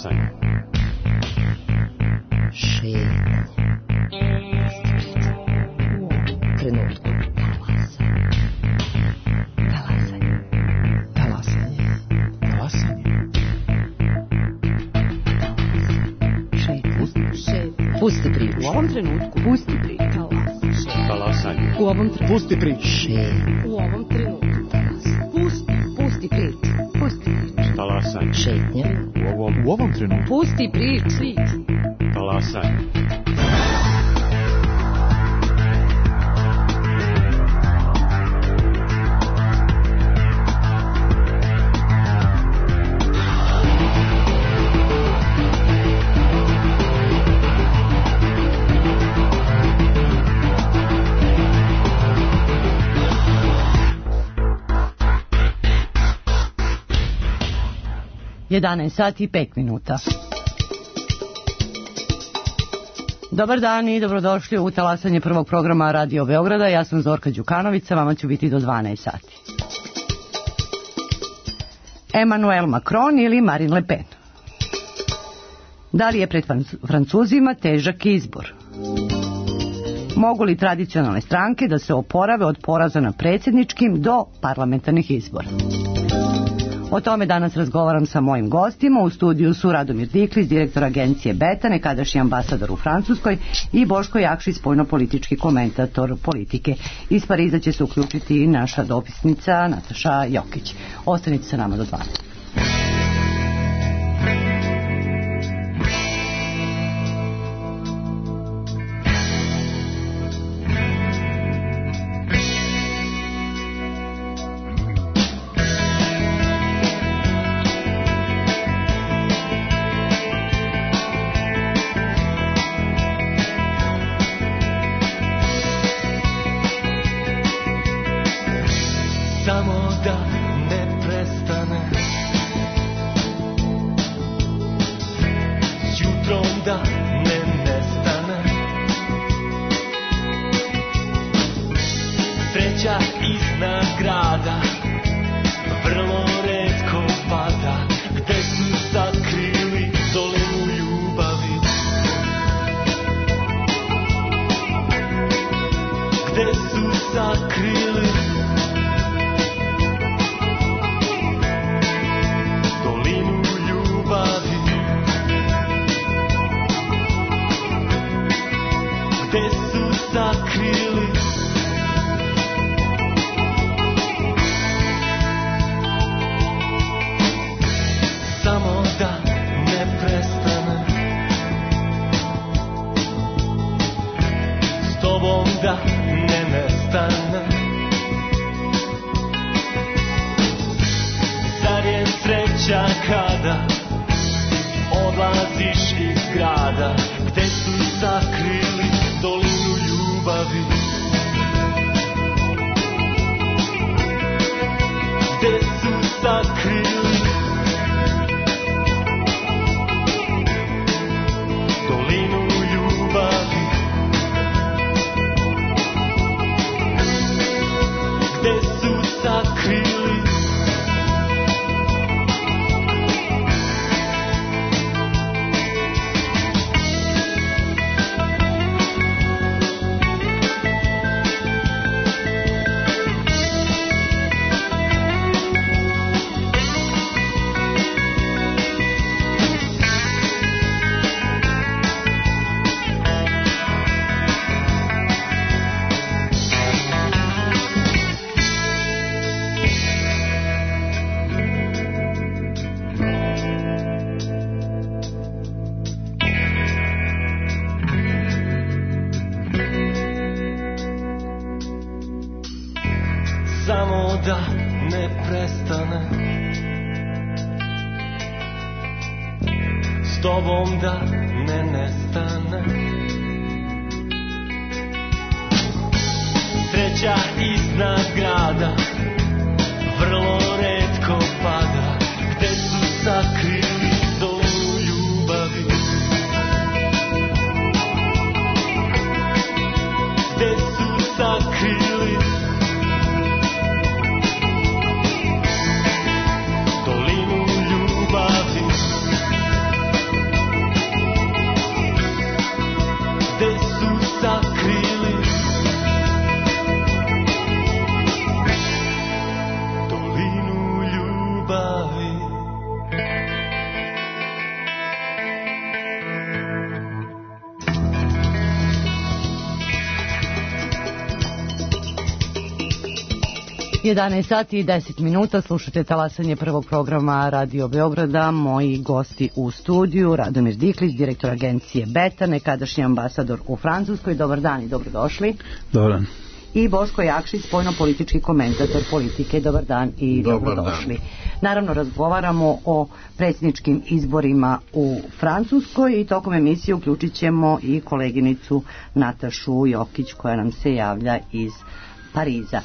Talasanje. Šetnje. Trenutku. Talasanje. Talasanje. Talasanje. Šetnje. Pusti priču. U ovom trenutku. Pusti priču. Talasanje. U ovom trenutku. Pusti priču. Šetnje. U ovom trenutku. Pusti priču. Pusti priču. Talasanje. Šetnje. U ovom trenutku. Pusti priču. Talasanje. Sati i 5 minuta. Dobar dan i dobrodošli u talasanje prvog programa Radio Beograda. Ja sam Zorka Đukanovića, vama ću biti do 12 sati. Emmanuel Macron ili Marine Le Pen? Da li je pred Francuzima težak izbor? Mogu li tradicionalne stranke da se oporave od poraza na predsjedničkim do parlamentarnih izbora? O tome danas razgovaram sa mojim gostima. U studiju su Radomir Diklić, direktor agencije Beta, nekadašnji ambasador u Francuskoj, i Boško Jakšić, spoljno-politički komentator politike. Iz Pariza će se uključiti i naša dopisnica Nataša Jokić. Ostanite sa nama do 12. 11 sati i 10 minuta, slušate talasanje prvog programa Radio Beograda. Moji gosti u studiju, Radomir Diklić, direktor agencije Beta, nekadašnji ambasador u Francuskoj. Dobar dan i dobrodošli. Dobar dan. I Boško Jakšić, spoljno-politički komentator politike. Dobar dan i dobrodošli. Naravno, razgovaramo o predsjedničkim izborima u Francuskoj i tokom emisije uključit ćemo i koleginicu Natašu Jokić koja nam se javlja iz Pariza.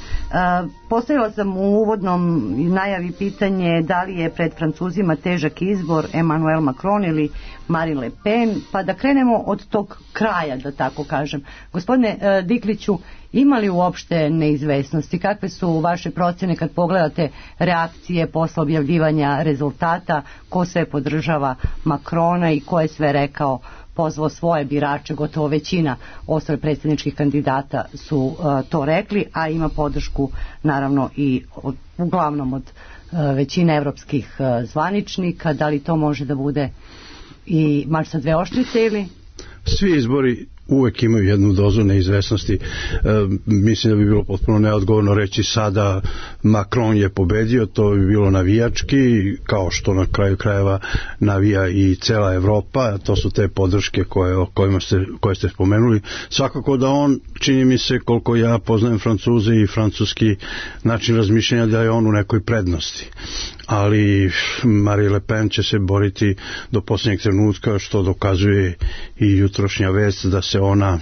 Postavila sam u uvodnom najavi pitanje da li je pred Francuzima težak izbor Emmanuel Macron ili Marine Le Pen, pa da krenemo od tog kraja, da tako kažem. Gospodine Dikliću, ima li uopšte neizvesnosti? Kakve su vaše procjene kad pogledate reakcije posle objavljivanja rezultata, ko sve podržava Macrona i ko je sve rekao, pozvao svoje birače, gotovo većina ostalih predsjedničkih kandidata su to rekli, a ima podršku naravno i uglavnom od većine evropskih zvaničnika. Da li to može da bude i mač sa dve oštrice ili? Svi izbori uvek imaju jednu dozu neizvesnosti. Mislim da bi bilo potpuno neodgovorno reći sada Macron je pobedio, to bi bilo navijački, kao što na kraju krajeva navija i cela Evropa. To su te podrške koje ste spomenuli. Svakako da on, čini mi se, koliko ja poznajem Francuze i francuski način razmišljanja, da je on u nekoj prednosti. Ali Marine Le Pen će se boriti do posljednjeg trenutka, što dokazuje i jutrošnja vest da se ona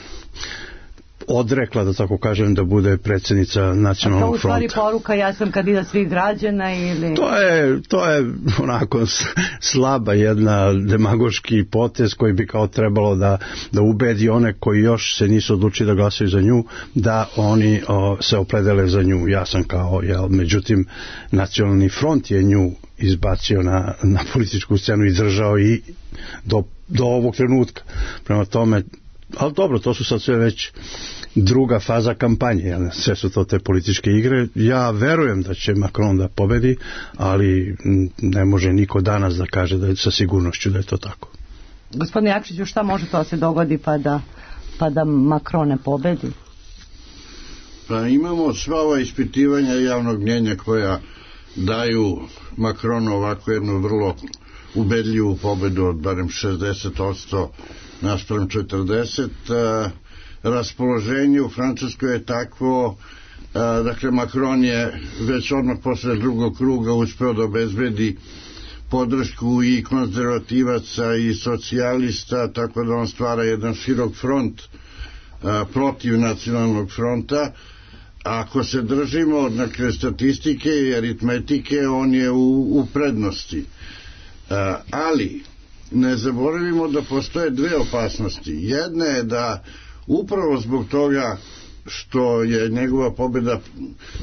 odrekla, da tako kažem, da bude predsjednica Nacionalnog fronta. A to u stvari poruka, ja sam kandidat svih građana ili? To je onako slaba jedna demagoški potez koji bi kao trebalo da ubedi one koji još se nisu odlučili da glasaju za nju, da oni se opredele za nju. Ja sam međutim Nacionalni front je nju izbacio na političku scenu i držao i do ovog trenutka. Prema tome, ali dobro, to su sad sve već druga faza kampanje, sve su to te političke igre. Ja verujem da će Macron da pobedi, ali ne može niko danas da kaže da je sa sigurnošću da je to tako. Gospodine Jakšiću, šta može to se dogodi pa da Macron ne pobedi? Pa imamo sva ova ispitivanja javnog mnjenja koja daju Macronu ovako jednu vrlo ubedljivu pobedu od barem 60% naspram 40%. Raspoloženje u Francuskoj je takvo, dakle Macron je već odmah posle drugog kruga uspeo da obezbedi podršku i konzervativaca i socijalista, tako da on stvara jedan širok front protiv Nacionalnog fronta. Ako se držimo dakle statistike i aritmetike, on je u prednosti. Ali ne zaboravimo da postoje dve opasnosti. Jedna je da upravo zbog toga što je njegova pobjeda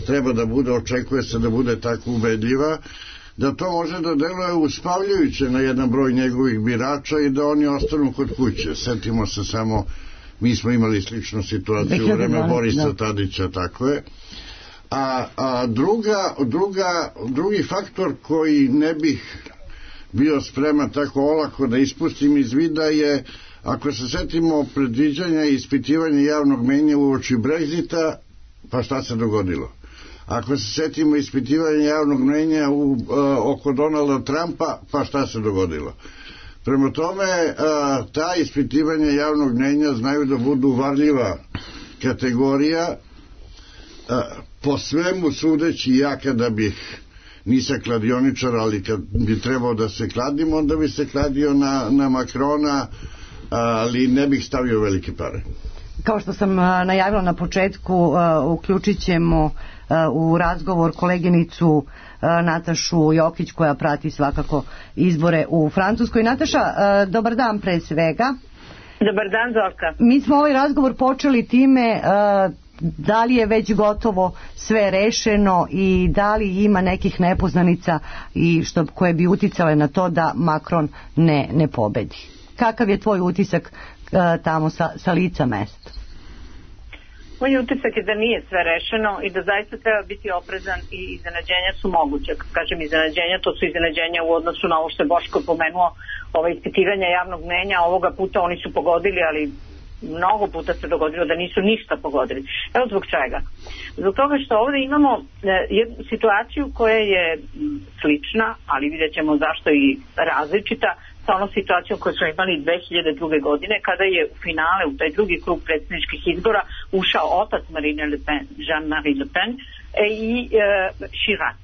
treba da bude, očekuje se da bude tako ubedljiva, da to može da deluje uspavljujuće na jedan broj njegovih birača i da oni ostanu kod kuće. Setimo se samo, mi smo imali sličnu situaciju u vreme Borisa Tadića, tako je. A drugi faktor koji ne bih bio spreman tako olako da ispustim iz vida je, ako se setimo predviđanja i ispitivanja javnog mnjenja uoči Brexita, pa šta se dogodilo? Ako se setimo ispitivanja javnog mnjenja oko Donalda Trumpa, pa šta se dogodilo? Prema tome, ta ispitivanja javnog mnjenja znaju da budu varljiva kategorija. Po svemu sudeći, ja kada bih, nisam kladioničar, ali kad bi trebao da se kladim, onda bi se kladio na Macrona, ali ne bih stavio velike pare. Kao što sam najavila na početku, uključit ćemo u razgovor koleginicu Natašu Jokić koja prati svakako izbore u Francuskoj. Nataša, dobar dan pre svega. Dobar dan, Zorka. Mi smo ovaj razgovor počeli time da li je već gotovo sve rešeno i da li ima nekih nepoznanica i koje bi uticale na to da Macron ne pobedi. Kakav je tvoj utisak tamo sa lica mesta? Moj utisak je da nije sve rešeno i da zaista treba biti oprezan i iznenađenja su moguće. Kad kažem iznenađenja, to su iznenađenja u odnosu na ovo što je Boško pomenuo, ispitivanja javnog mnjenja. Ovoga puta oni su pogodili, ali mnogo puta se dogodilo da nisu ništa pogodili. Evo zbog čega. Zbog toga što ovdje imamo jednu situaciju koja je slična, ali vidjet ćemo zašto i različita sa onom situacijom koju smo imali 2002. godine, kada je u finale, u taj drugi krug predsjedničkih izbora ušao otac Marine Le Pen, Jean-Marie Le Pen, i Chirac,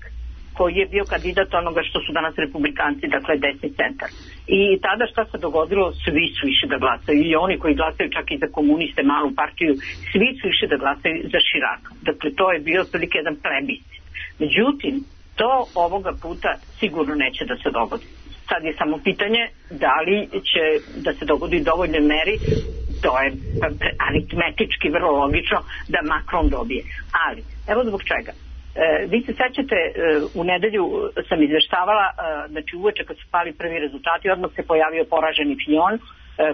koji je bio kandidat onoga što su danas republikanci, dakle desni centar. I tada šta se dogodilo? Svi su išli da glasaju, i oni koji glasaju čak i za komuniste, malu partiju, svi su išli da glasaju za Chirac. Dakle, to je bio otprilike jedan plebiscit. Međutim, to ovoga puta sigurno neće da se dogodi. Sad je samo pitanje da li će da se dogodi u dovoljnoj meri, to je aritmetički vrlo logično da Macron dobije. Ali, evo zbog čega. Vi se sećate, u nedelju sam izveštavala, znači uveče kad su pali prvi rezultati, odmah se pojavio poraženi Fillon,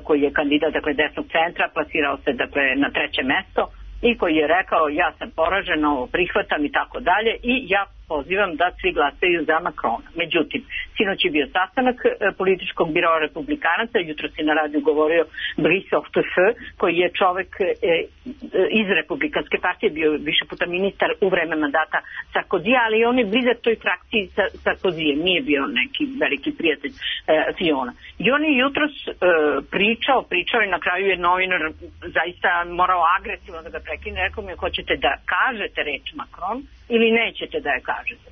koji je kandidat, dakle, desnog centra, plasirao se, dakle, na 3. mesto, i koji je rekao ja sam poražen, ovo prihvatam i tako dalje, i ja pozivam da svi glasaju za Macrona. Međutim, sinoć je bio sastanak političkog biroa republikanaca, jutro se na radiju govorio Brice Hortefeux, koji je čovek iz republikanske partije, bio više puta ministar u vreme mandata Sarkozija, ali on je blizak toj frakciji Sarkozije, nije bio neki veliki prijatelj Fillona. I on je jutros pričao i na kraju je novinar zaista morao agresivno da ga prekine, rekao mi, hoćete da kažete reč Macron ili nećete da je kažete.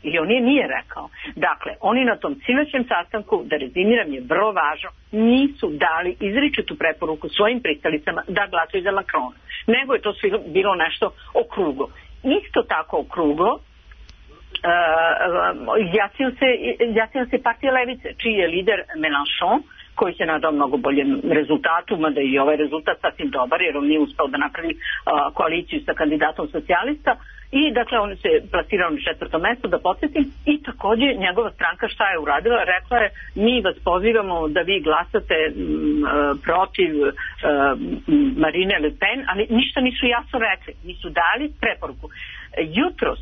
I on je nije rekao. Dakle, oni na tom sinoćnom sastanku, da rezimiram je vrlo važno, nisu dali izričitu preporuku svojim pristalicama da glasaju za Macrona. Nego je to sve bilo nešto okruglo. Isto tako okruglo izjasnio se partija Levice, čiji je lider Mélenchon, koji se nadao mnogo boljem rezultatu, mada i ovaj rezultat sasvim dobar, jer on nije uspeo da napravi koaliciju sa kandidatom socijalista, i dakle on se plasirao na 4. mesto, da podsjetim, i također njegova stranka šta je uradila? Rekla je, mi vas pozivamo da vi glasate protiv Marine Le Pen, ali ništa nisu jasno rekli, nisu dali preporuku. Jutros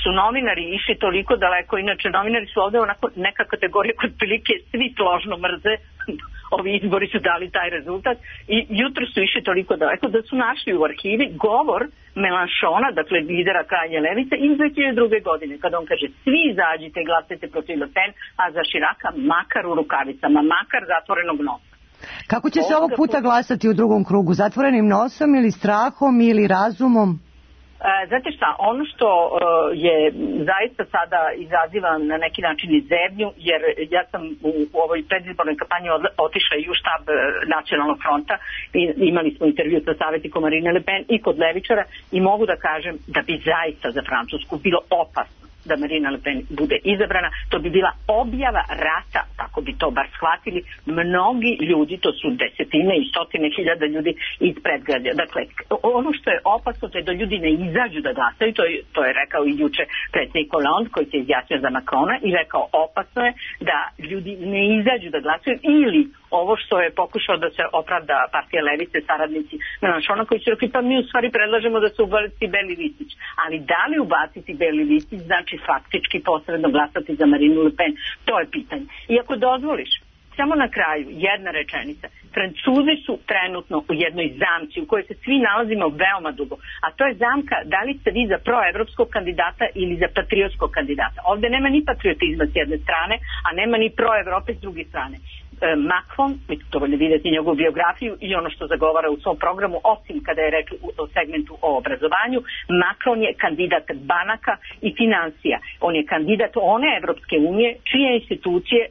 su novinari išli toliko daleko, inače novinari su ovdje onako neka kategorija kod prilike svi složno mrze, ovi izbori su dali taj rezultat, i jutro su išli toliko daleko da su našli u arhivi govor Mélenchona, dakle lidera krajnje levice, iz 2002. godine, kada on kaže svi izađite i glasajte protiv Le Pen, a za Chiraca makar u rukavicama, makar zatvorenog nosa. Kako će se ovog puta glasati u drugom krugu? Zatvorenim nosom ili strahom ili razumom? Znate šta, ono što je zaista sada izaziva na neki način i zebnju, jer ja sam u ovoj predizbornoj kampanji otišla i u štab Nacionalnog fronta i imali smo intervju sa savjetnikom Marine Le Pen i kod levičara, i mogu da kažem da bi zaista za Francusku bilo opasno da Marine Le Pen bude izabrana. To bi bila objava rata, tako bi to bar shvatili mnogi ljudi, to su desetine i stotine hiljada ljudi iz predgrađa. Dakle, ono što je opasno to je da ljudi ne izađu da glasaju, to je rekao i juče predsjednik Hollande koji se izjasnio za Macrona i rekao opasno je da ljudi ne izađu da glasaju, ili ovo što je pokušao da se opravda partija levice, saradnici Mélenchona, koji su rekli pa mi u stvari predlažemo da se ubaci beli listić. Ali da li ubaciti beli listić znači faktički posredno glasati za Marinu Le Pen? To je pitanje. I ako dozvoliš, samo na kraju jedna rečenica. Francuzi su trenutno u jednoj zamci u kojoj se svi nalazimo veoma dugo, a to je zamka da li ste vi za proevropskog kandidata ili za patriotskog kandidata. Ovdje nema ni patriotizma s jedne strane, a nema ni proevrope s druge strane. Macron, vi dovoljno vidjeti njegovu biografiju i ono što zagovara u svom programu, osim kada je rekli o segmentu o obrazovanju, Macron je kandidat banaka i financija. On je kandidat one Evropske unije čije institucije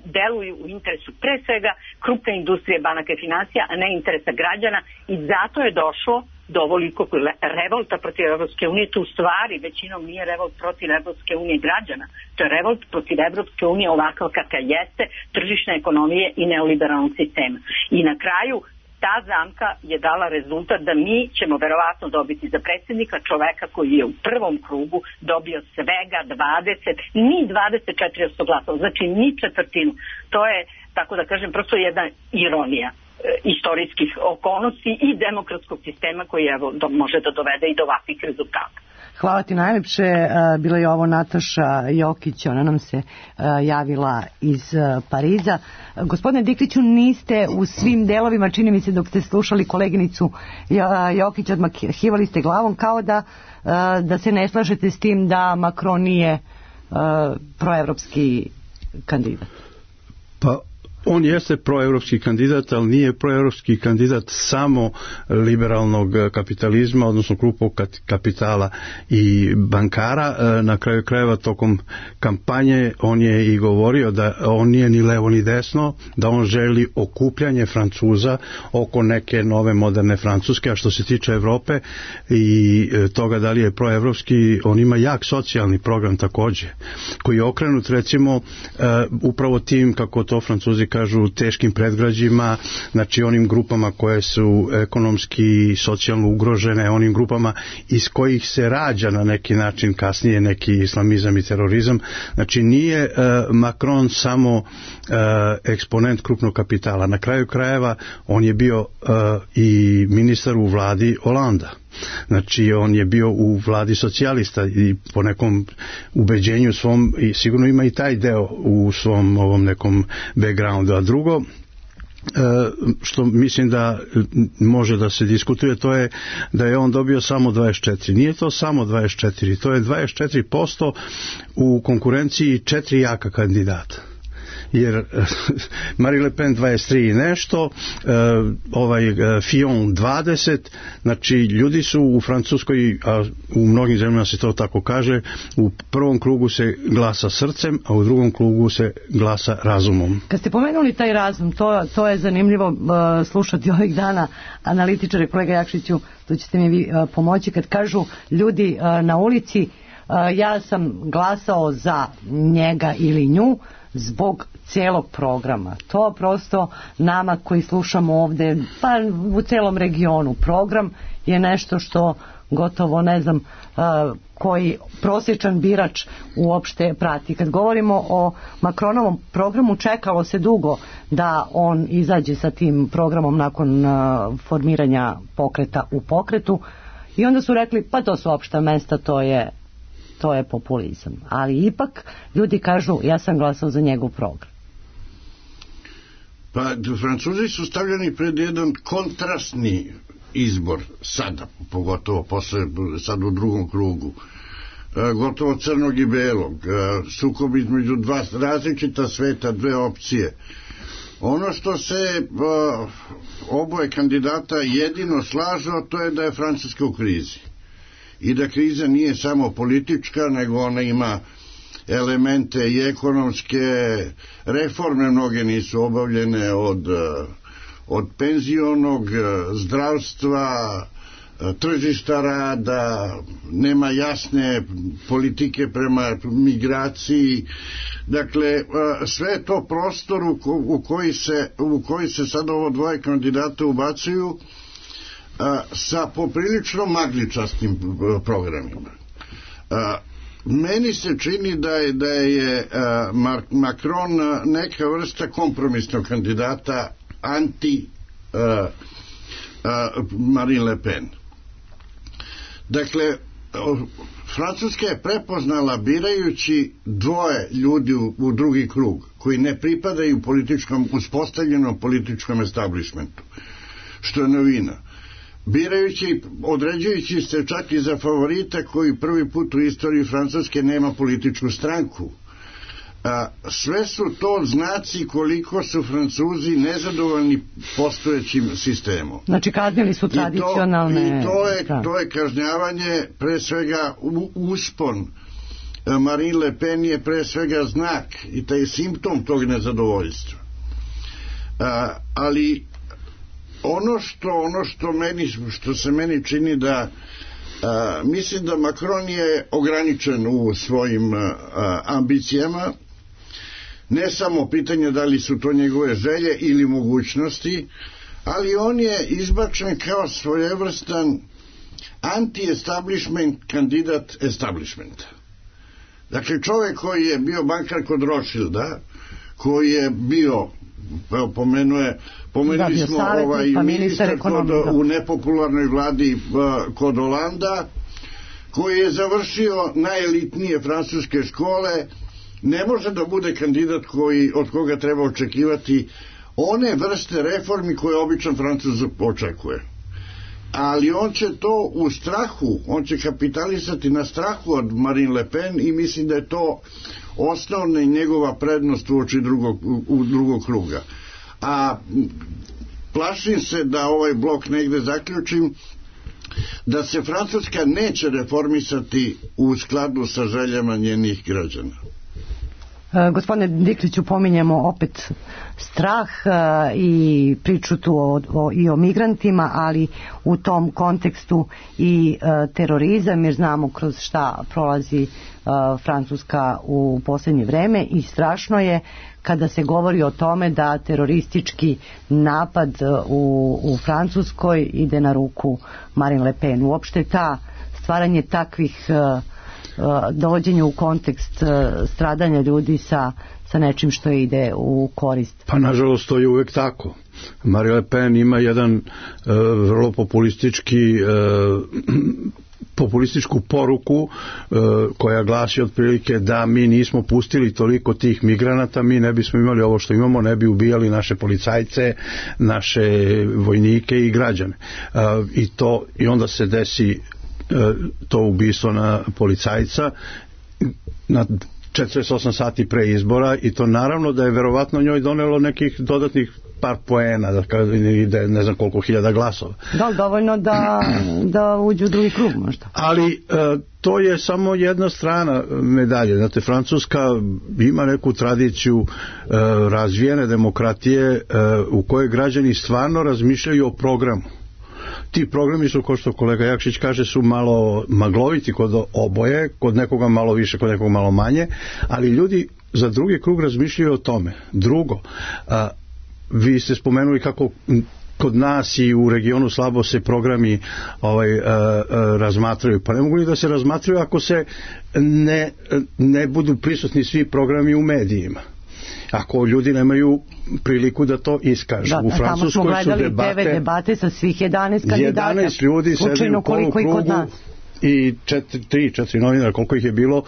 deluju u interesu pre svega krupne industrije banaka i financija, a ne interesa građana, i zato je došlo do ovolikog revolta protiv Evropske unije. Tu stvari većinom nije revolt protiv Evropske unije građana, to je revolt protiv Evropske unije ovakav kakav jeste, tržišne ekonomije i neoliberalnog sistema. I na kraju ta zamka je dala rezultat da mi ćemo verovatno dobiti za predsjednika čoveka koji je u prvom krugu dobio svega 24% glasova, znači ni četvrtinu. To je, tako da kažem, prosto jedna ironija istorijskih okolnosti i demokratskog sistema koji evo može da dovede i do ovakvih rezultata. Hvala ti najlepše. Bila je ovo Nataša Jokić, ona nam se javila iz Pariza. Gospodine Dikliću, niste u svim delovima, čini mi se dok ste slušali koleginicu Jokić, odmahivali ste glavom kao da se ne slažete s tim da Macron nije proevropski kandidat. Pa on jeste proevropski kandidat, ali nije proevropski kandidat samo liberalnog kapitalizma, odnosno krupnog kapitala i bankara. Na kraju krajeva tokom kampanje on je i govorio da on nije ni levo ni desno, da on želi okupljanje Francuza oko neke nove moderne Francuske, a što se tiče Evrope i toga da li je proevropski, on ima jak socijalni program takođe, koji je okrenut recimo upravo tim, kako to Francuzi kažu, teškim predgrađima, znači onim grupama koje su ekonomski i socijalno ugrožene, onim grupama iz kojih se rađa na neki način kasnije neki islamizam i terorizam. Znači nije Macron samo eksponent krupnog kapitala. Na kraju krajeva on je bio i ministar u vladi Holanda. Znači on je bio u vladi socijalista i po nekom ubeđenju svom, i sigurno ima i taj deo u svom ovom nekom backgroundu. A drugo što mislim da može da se diskutuje, to je da je on dobio samo 24. Nije to samo 24, to je 24% u konkurenciji 4 jaka kandidata. Jer Marine Le Pen 23 i nešto, Fillon 20, znači ljudi su u Francuskoj, a u mnogim zemljama se to tako kaže, u prvom krugu se glasa srcem, a u drugom krugu se glasa razumom. Kad ste pomenuli taj razum, to je zanimljivo slušati ovih dana analitičare, kolega Jakšiću, tu ćete mi vi pomoći, kad kažu ljudi na ulici, ja sam glasao za njega ili nju zbog cijelog programa. To prosto nama koji slušamo ovde, pa u celom regionu, program je nešto što gotovo ne znam koji prosječan birač uopšte prati. Kad govorimo o Macronovom programu, čekalo se dugo da on izađe sa tim programom nakon formiranja pokreta u pokretu i onda su rekli pa to su opšta mesta, to je populizam. Ali ipak ljudi kažu ja sam glasao za njegov program. Pa Francuzi su stavljeni pred jedan kontrastni izbor sada, pogotovo sad u drugom krugu, gotovo crnog i belog, sukob između dva različita sveta, dve opcije. Ono što se oboje kandidata jedino slažu, to je da je Francuska u krizi i da kriza nije samo politička, nego ona ima elemente i ekonomske reforme, mnoge nisu obavljene od penzionog, zdravstva, tržišta rada, nema jasne politike prema migraciji. Dakle, sve je to prostor u koji se sad ovo dvoje kandidata ubacuju sa poprilično magličastim programima. Meni se čini da je Macron neka vrsta kompromisnog kandidata anti Marine Le Pen. Dakle, Francuska je prepoznala, birajući dvoje ljudi u drugi krug koji ne pripadaju uspostavljenom političkom establishmentu, što je novina, određujući se čak i za favorita koji prvi put u istoriji Francuske nema političku stranku. Sve su to znaci koliko su Francuzi nezadovoljni postojećim sistemom. Znači kaznili su tradicionalne... I to je kažnjavanje, pre svega uspon Marine Le Pen je pre svega znak i taj simptom tog nezadovoljstva. Ali ono što se meni čini da mislim da Macron je ograničen u svojim ambicijama, ne samo pitanje da li su to njegove želje ili mogućnosti, ali on je izbačen kao svojevrstan anti-establishment kandidat establishmenta. Dakle, čovjek koji je bio bankar kod Rothschilda, koji je bio, pomenuli smo ministar u nepopularnoj vladi kod Holanda, koji je završio najelitnije francuske škole, ne može da bude kandidat od koga treba očekivati one vrste reformi koje običan Francuz očekuje. Ali on će to u strahu, on će kapitalisati na strahu od Marine Le Pen i mislim da je to osnovna i njegova prednost uoči drugog kruga. A plašim se da ovaj blok negde zaključim, da se Francuska neće reformisati u skladu sa željama njenih građana. Gospodine Dikliću, pominjemo opet strah i priču tu i o migrantima, ali u tom kontekstu i terorizam, jer znamo kroz šta prolazi Francuska u posljednje vreme, i strašno je kada se govori o tome da teroristički napad u Francuskoj ide na ruku Marine Le Pen. Uopšte stvaranje takvih dovođenje u kontekst stradanja ljudi sa nečim što ide u korist. Pa nažalost to je uvek tako. Marine Le Pen ima jedan vrlo populističku poruku koja glasi otprilike da mi nismo pustili toliko tih migranata, mi ne bismo imali ovo što imamo, ne bi ubijali naše policajce, naše vojnike i građane. I onda se desi to ubistvo na policajca na 48 sati pre izbora, i to naravno da je verovatno njoj donelo nekih dodatnih par poena, da je ne znam koliko hiljada glasova. Da li dovoljno da uđu u drugi krug možda? Ali to je samo jedna strana medalje. Znate, Francuska ima neku tradiciju razvijene demokratije u kojoj građani stvarno razmišljaju o programu. Ti programi su, kao što kolega Jakšić kaže, su malo magloviti kod oboje, kod nekoga malo više, kod nekoga malo manje, ali ljudi za drugi krug razmišljaju o tome. Drugo, vi ste spomenuli kako kod nas i u regionu slabo se programi razmatraju. Pa ne mogu ni da se razmatraju ako se ne budu prisutni svi programi u medijima. Ako ljudi nemaju priliku da to iskažu. U Francuskoj tamo smo gledali 9 debate sa svih 11 kandidata. 11 ljudi sedi u polukrugu i 3-4 novinara, koliko ih je bilo,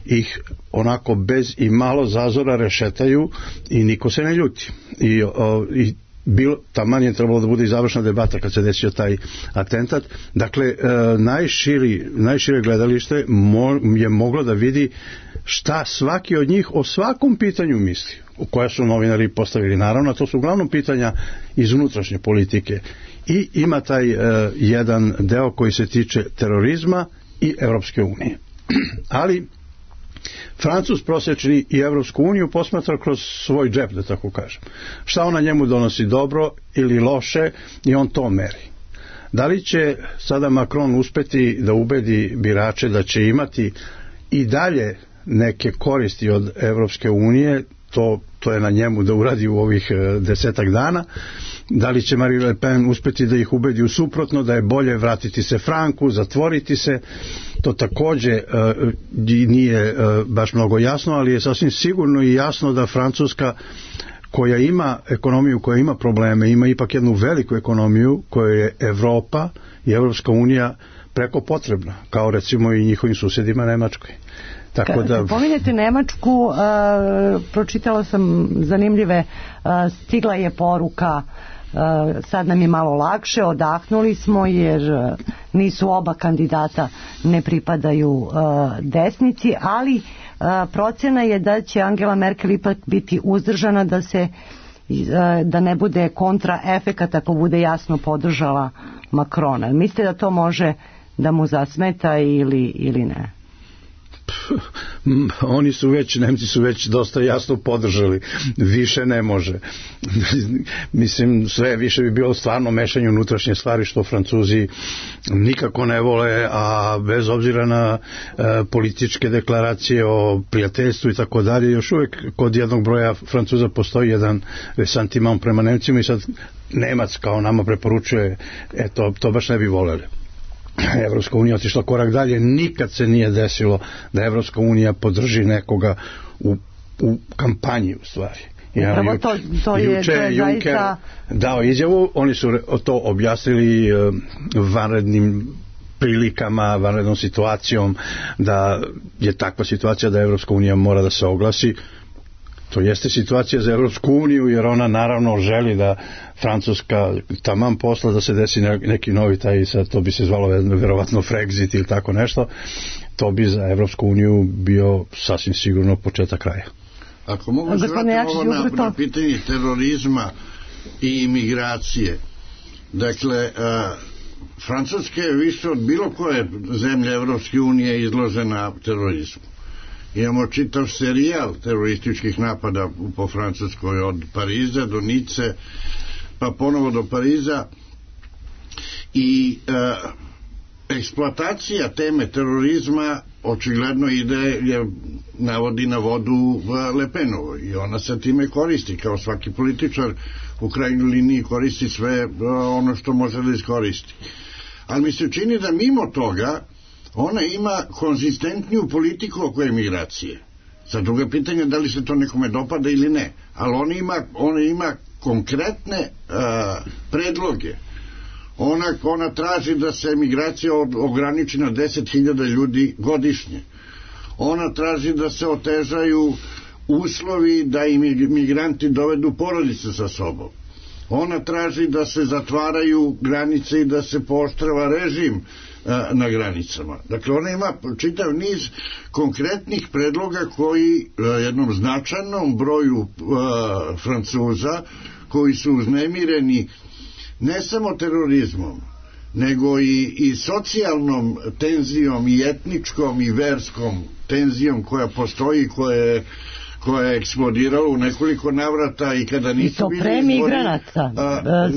ih onako bez i malo zazora rešetaju i niko se ne ljuti. I taman je trebalo da bude i završna debata kad se desio taj atentat. Dakle, najšire gledalište je moglo da vidi šta svaki od njih o svakom pitanju misli, koja su novinari postavili. Naravno, to su uglavnom pitanja iz unutrašnje politike. I ima taj jedan deo koji se tiče terorizma i Evropske unije. Ali Francuz prosječni i Evropsku uniju posmatra kroz svoj džep, da tako kažem. Šta ona njemu donosi, dobro ili loše, i on to meri. Da li će sada Macron uspeti da ubedi birače da će imati i dalje neke koristi od Evropske unije, to je na njemu da uradi u ovih 10 dana. Da li će Marine Le Pen uspeti da ih ubedi u suprotno, da je bolje vratiti se franku, zatvoriti se, to takođe nije baš mnogo jasno, ali je sasvim sigurno i jasno da Francuska, koja ima ekonomiju, koja ima probleme, ima ipak jednu veliku ekonomiju koju je Evropa i Evropska unija preko potrebna, kao recimo i njihovim susjedima Nemačkoj. Kad pominjete Nemačku, pročitala sam zanimljive, stigla je poruka, sad nam je malo lakše, odahnuli smo jer nisu oba kandidata, ne pripadaju desnici, ali procena je da će Angela Merkel ipak biti uzdržana, da ne bude kontraefekat ako bude jasno podržala Macrona. Mislite da to može da mu zasmeta ili ne? Nemci su već dosta jasno podržali, više ne može. Mislim, sve više bi bilo stvarno mešanje unutrašnje stvari, što Francuzi nikako ne vole, a bez obzira na političke deklaracije o prijateljstvu i tako dalje, još uvijek kod jednog broja Francuza postoji jedan resantiman prema Nemcima, i sad Nemac kao nama preporučuje, to baš ne bi voleli. Evropska unija otišla korak dalje. Nikad se nije desilo da Evropska unija podrži nekoga u kampanji, u stvari. Upravo to je Juncker dao izjavu, oni su to objasnili vanrednim prilikama, vanrednom situacijom, da je takva situacija da Evropska unija mora da se oglasi. To jeste situacija za Evropsku uniju, jer ona naravno želi da Francuska taman posla da se desi neki novi taj, sad to bi se zvalo verovatno Frexit ili tako nešto, to bi za Evropsku uniju bio sasvim sigurno početak kraja. Ako mogu se vratiti ovo na pitanje terorizma i imigracije, dakle, Francuska je više od bilo koje zemlje Evropske unije izložena terorizmu. Imamo čitav serijal terorističkih napada po Francuskoj, od Pariza do Nice, pa ponovo do Pariza, i eksploatacija teme terorizma očigledno navodi na vodu Le Penovo, i ona se time koristi, kao svaki političar u krajnjoj liniji koristi sve ono što može da iskoristi. Ali mi se čini da mimo toga ona ima konzistentniju politiku oko emigracije. Sad druga pitanja da li se to nekome dopada ili ne, ali ona ima konkretne predloge. Ona traži da se emigracija ograniči na 10.000 ljudi godišnje. Ona traži da se otežaju uslovi da imigranti dovedu porodice sa sobom. Ona traži da se zatvaraju granice i da se pooštrava režim na granicama. Dakle, ona ima čitav niz konkretnih predloga koji jednom značajnom broju Francuza, koji su uznemireni ne samo terorizmom, nego i socijalnom tenzijom, i etničkom i verskom tenzijom koja postoji, koja je eksplodirala u nekoliko navrata, i kada nisu i to pre migranata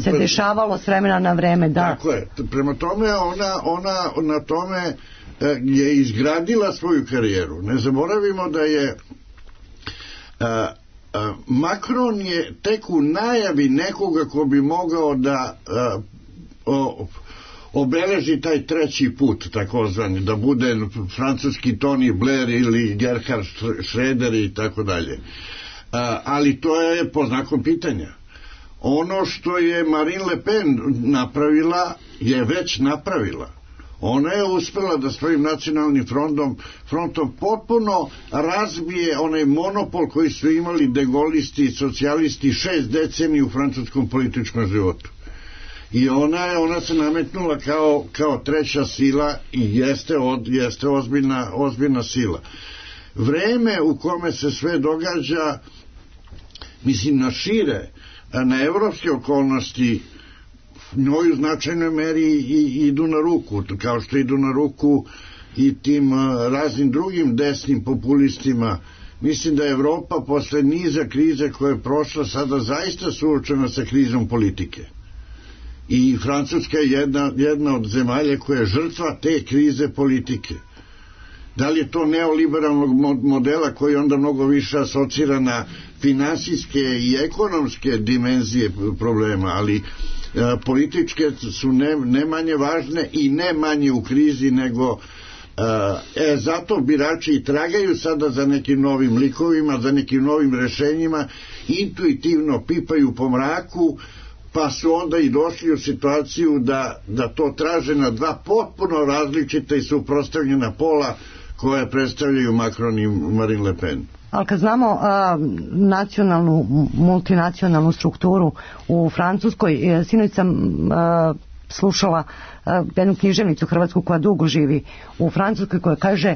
se dešavalo s vremena na vreme, da. Tako je. Prema tome ona na tome je izgradila svoju karijeru. Ne zaboravimo da je Macron je tek u najavi nekoga ko bi mogao da obeleži taj treći put, takozvani, da bude francuski Tony Blair ili Gerhard Schröder i tako dalje. Ali to je pod znakom pitanja. Ono što je Marine Le Pen napravila je već napravila. Ona je uspela da svojim nacionalnim frontom potpuno razbije onaj monopol koji su imali degolisti i socijalisti 6 decenija u francuskom političkom životu. I ona se nametnula kao treća sila i jeste ozbiljna sila. Vreme u kome se sve događa, mislim, na šire, na evropske okolnosti, njoj u značajnoj meri idu na ruku, kao što idu na ruku i tim raznim drugim desnim populistima. Mislim da je Evropa posle niza krize koje je prošla sada zaista suočena sa krizom politike. I Francuska je jedna od zemalja koja je žrtva te krize politike. Da li je to neoliberalnog modela koji onda mnogo više asocira na finansijske i ekonomske dimenzije problema, ali političke su ne manje važne i ne manje u krizi nego zato birači i tragaju sada za nekim novim likovima, za nekim novim rešenjima, intuitivno pipaju po mraku, pa su onda i došli u situaciju da to traže na dva potpuno različita i suprotstavljena pola koje predstavljaju Macron i Marine Le Pen. Ali kad znamo multinacionalnu strukturu u Francuskoj, sinoć sam slušala jednu književnicu hrvatsku koja dugo živi u Francuskoj, koja kaže: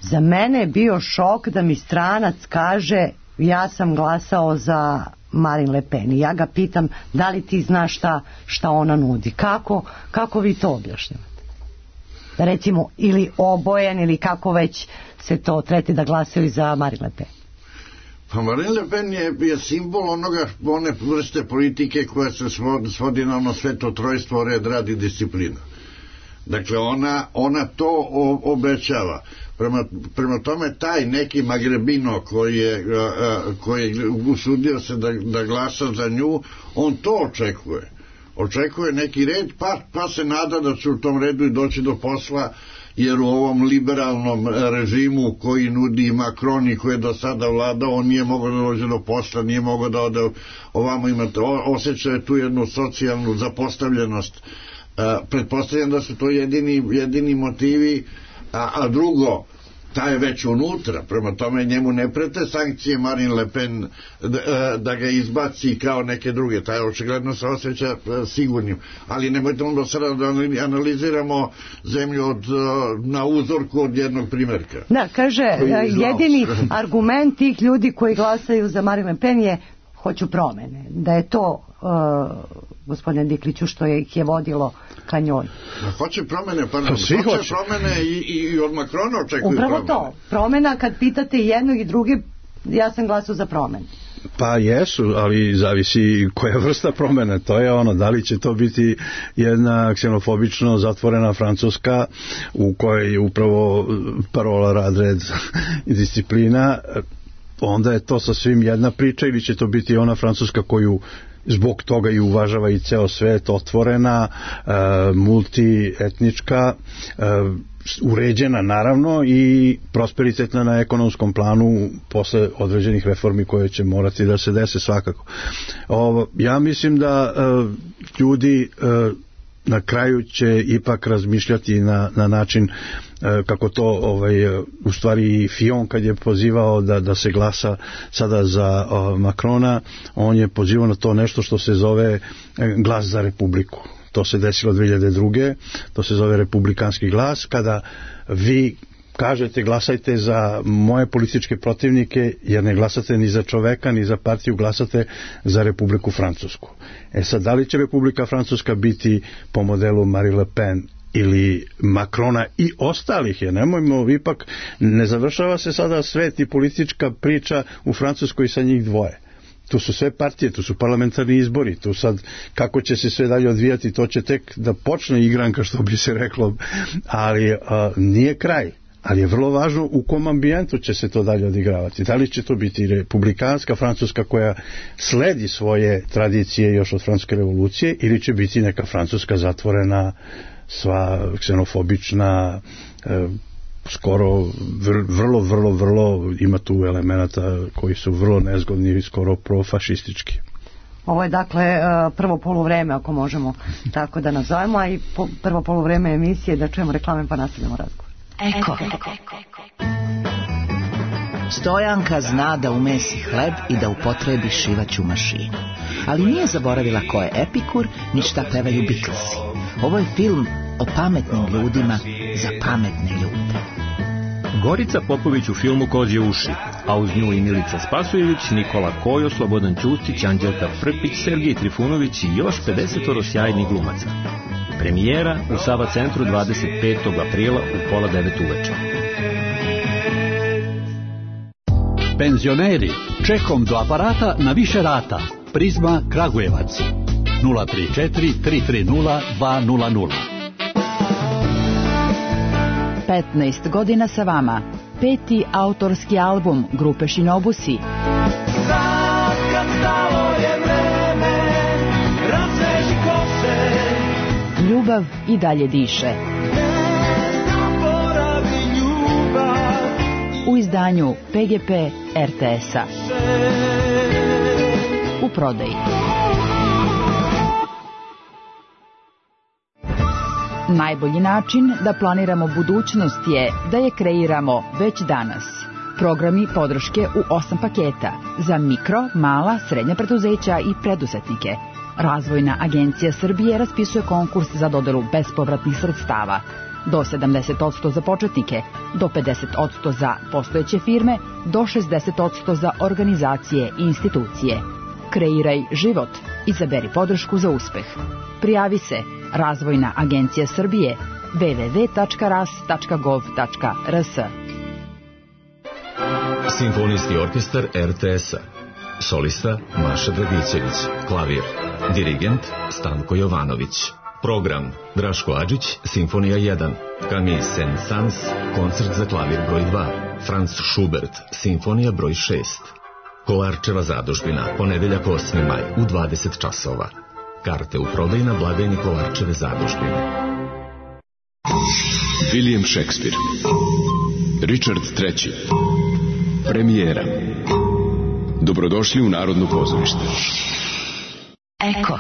za mene je bio šok da mi stranac kaže ja sam glasao za Marine Le Pen. I ja ga pitam, da li ti znaš šta ona nudi? Kako vi to objašnjavate? Recimo, ili obojen, ili kako već se to treti da glasaju za Marine Le Pen. Pa Marine Le Pen je simbol one vrste politike koja se svodi na ono sveto trojstvo, red, rad i disciplina. Dakle, ona to obećava. Prema tome, taj neki Magrebino koji je usudio se da glasa za nju, on to očekuje neki red, pa se nada da će u tom redu i doći do posla, jer u ovom liberalnom režimu koji nudi Macron i koji je do sada vladao, on nije mogao da dođe do posla, nije mogao da ode ovamo. Imate osjećaje tu jednu socijalnu zapostavljenost Pretpostavljam da su to jedini motivi, a drugo, ta je već unutra, prema tome njemu ne prete sankcije Marine Le Pen da ga izbaci kao neke druge, taj očigledno se osjeća sigurnim, ali nemojte onda sada da analiziramo zemlju na uzorku od jednog primjerka. Da, kaže, jedini argument tih ljudi koji glasaju za Marine Le Pen je hoću promene, da je to gospodine Dikliću što ih je vodilo ka njoj. Hoće promene, hoće promene i od Makrona očekuju promene. Upravo to, promena kad pitate jednog i druge, ja sam glasao za promene. Pa jesu, ali zavisi koja vrsta promene, to je ono, da li će to biti jedna ksenofobično zatvorena Francuska u kojoj je upravo parola rad, red i disciplina, onda je to sasvim jedna priča, ili će to biti ona Francuska koju zbog toga i uvažava i ceo svet, otvorena, multietnička, uređena naravno i prosperitetna na ekonomskom planu posle određenih reformi koje će morati da se dese svakako. Ja mislim da ljudi na kraju će ipak razmišljati na način kako to u stvari Fillon kad je pozivao da se glasa sada za Makrona, on je pozivao na to nešto što se zove glas za Republiku. To se desilo 2002. To se zove republikanski glas, kada vi kažete glasajte za moje političke protivnike, jer ne glasate ni za čoveka, ni za partiju, glasate za Republiku Francusku. Sad, da li će Republika Francuska biti po modelu Marine Le Pen ili Makrona i ostalih, jer nemojmo, ipak ne završava se sada svet i politička priča u Francuskoj sa njih dvoje. Tu su sve partije, tu su parlamentarni izbori, tu sad kako će se sve dalje odvijati, to će tek da počne igranka, što bi se reklo, ali nije kraj. Ali je vrlo važno u kom ambijentu će se to dalje odigravati. Da li će to biti republikanska Francuska koja sledi svoje tradicije još od Francuske revolucije, ili će biti neka Francuska zatvorena, sva ksenofobična, skoro vrlo ima tu elemenata koji su vrlo nezgodni i skoro profašistički. Ovo je dakle prvo poluvreme, ako možemo tako da nazovemo, a i prvo poluvreme emisije, da čujemo reklame pa nastavljamo razgovor. Eko. Stojanka zna da umesi hleb i da upotrebi šivaću mašinu. Ali nije zaboravila ko je Epikur, ni šta pevaju Beatlesi. Ovo je film o pametnim ljudima za pametne ljude. Gorica Popović u filmu Kozje uši, a uz nju i Milica Spasojević, Nikola Kojo, Slobodan Ćustić, Anđelka Prpić, Sergij Trifunović i još 50 sjajnih glumaca. Premijera u Sava centru 25. aprila u 8:30 uveče. Penzioneri, čekom do aparata na više rata. Prizma Kragujevac 034 330 200. 15 godina sa vama. 5. autorski album grupe Šinobusi. Ljubav i dalje diše. U izdanju PGP RTS-a. U prodaji. Najbolji način da planiramo budućnost je da je kreiramo već danas. Programi podrške u 8 paketa za mikro, mala, srednja preduzeća i preduzetnike. Razvojna agencija Srbije raspisuje konkurs za dodelu bespovratnih sredstava. Do 70% za početnike, do 50% za postojeće firme, do 60% za organizacije i institucije. Kreiraj život. Izaberi podršku za uspeh. Prijavi se Razvojna agencija Srbije www.ras.gov.rs. Simfonijski orkestar RTS-a. Solista Maša Dragićević. Klavir. Dirigent Stanko Jovanović. Program Draško Adžić, Simfonija 1. Camille Saint-Saëns, koncert za klavir broj 2. Franz Schubert, Simfonija broj 6. Kolarčeva zadužbina, ponedeljak 8. maj u 20 časova. Karte u prodaju na blagajni Kolarčeve zadužbine. William Shakespeare, Richard III. Premijera. Dobrodošli u Narodno pozorište. Eko.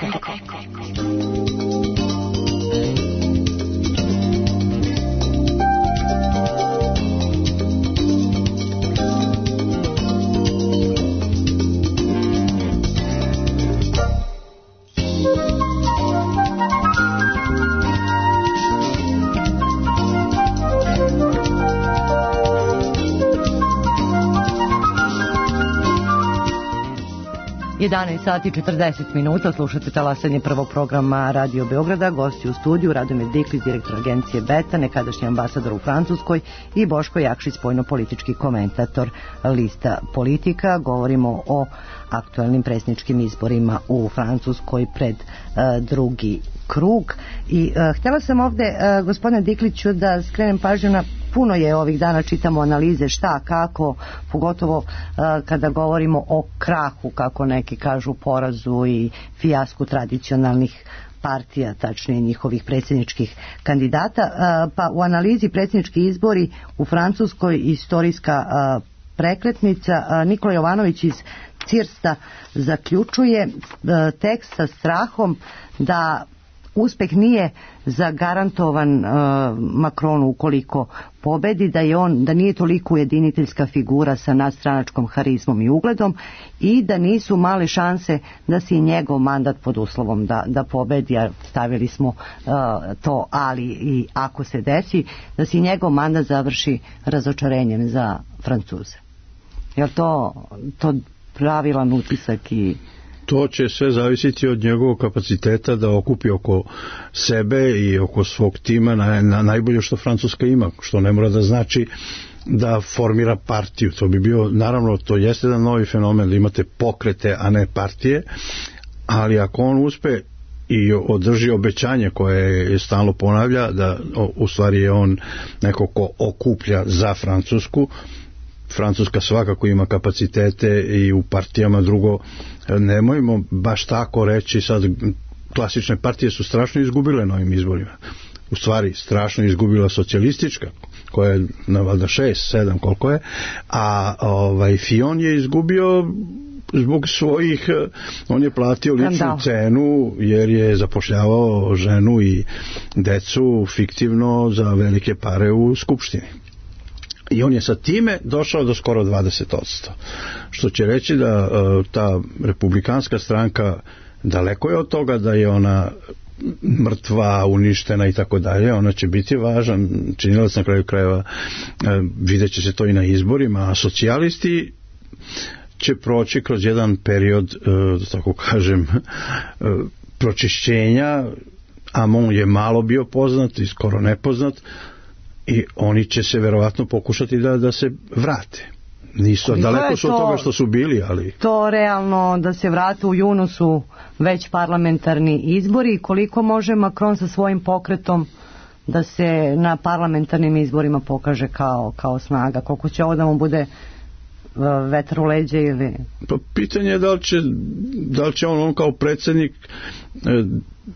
11 sati i 40 minuta, slušate talasanje prvog programa Radio Beograda, gosti u studiju Radomir Diklić, direktor agencije Beta, nekadašnji ambasador u Francuskoj, i Boško Jakšić, spoljno-politički komentator lista Politika. Govorimo o aktualnim predsjedničkim izborima u Francuskoj pred drugi krug. I htjela sam ovdje, gospodine Dikliću, da skrenem pažnju na puno je ovih dana, čitamo analize šta, kako, pogotovo kada govorimo o krahu, kako neki kažu, porazu i fijasku tradicionalnih partija, tačnije njihovih predsjedničkih kandidata. Pa u analizi predsjednički izbori u Francuskoj istorijska prekretnica, Nikola Jovanović iz Cirsta zaključuje tekst sa strahom da uspeh nije zagarantovan Macronu ukoliko pobedi, da nije toliko ujediniteljska figura sa nadstranačkom harizmom i ugledom i da nisu male šanse da se i njegov mandat, pod uslovom da pobedi, a stavili smo to ali i ako se desi, da se i njegov mandat završi razočarenjem za Francuze. Je li to pravilan utisak? I to će sve zavisiti od njegovog kapaciteta da okupi oko sebe i oko svog tima na najbolje što Francuska ima, što ne mora da znači da formira partiju. To bi bio, naravno, to jeste jedan novi fenomen, da imate pokrete, a ne partije, ali ako on uspe i održi obećanje koje je stalno ponavlja, da u stvari je on neko ko okuplja za Francusku. Francuska svakako ima kapacitete i u partijama. Drugo, nemojmo baš tako reći sad, klasične partije su strašno izgubile na ovim izborima. U stvari strašno izgubila socijalistička, koja je na valjda 6, 7 koliko je, a Fillon je izgubio zbog svojih, on je platio ličnu cenu jer je zapošljavao ženu i decu fiktivno za velike pare u skupštini. I on je sa time došao do skoro 20%. Što će reći da ta republikanska stranka daleko je od toga da je ona mrtva, uništena i tako dalje. Ona će biti važan činilac na kraju krajeva. Vidjet će se to i na izborima. A socijalisti će proći kroz jedan period, da tako kažem, pročišćenja. Hamon je malo bio poznat i skoro nepoznat. I oni će se verovatno pokušati da se vrate. Nisu, daleko su od toga što su bili, ali to realno da se vrate. U junu su već parlamentarni izbori. Koliko može Macron sa svojim pokretom da se na parlamentarnim izborima pokaže kao snaga? Koliko će ovo da mu bude vetar u leđe ili... Pa pitanje je da li će on kao predsjednik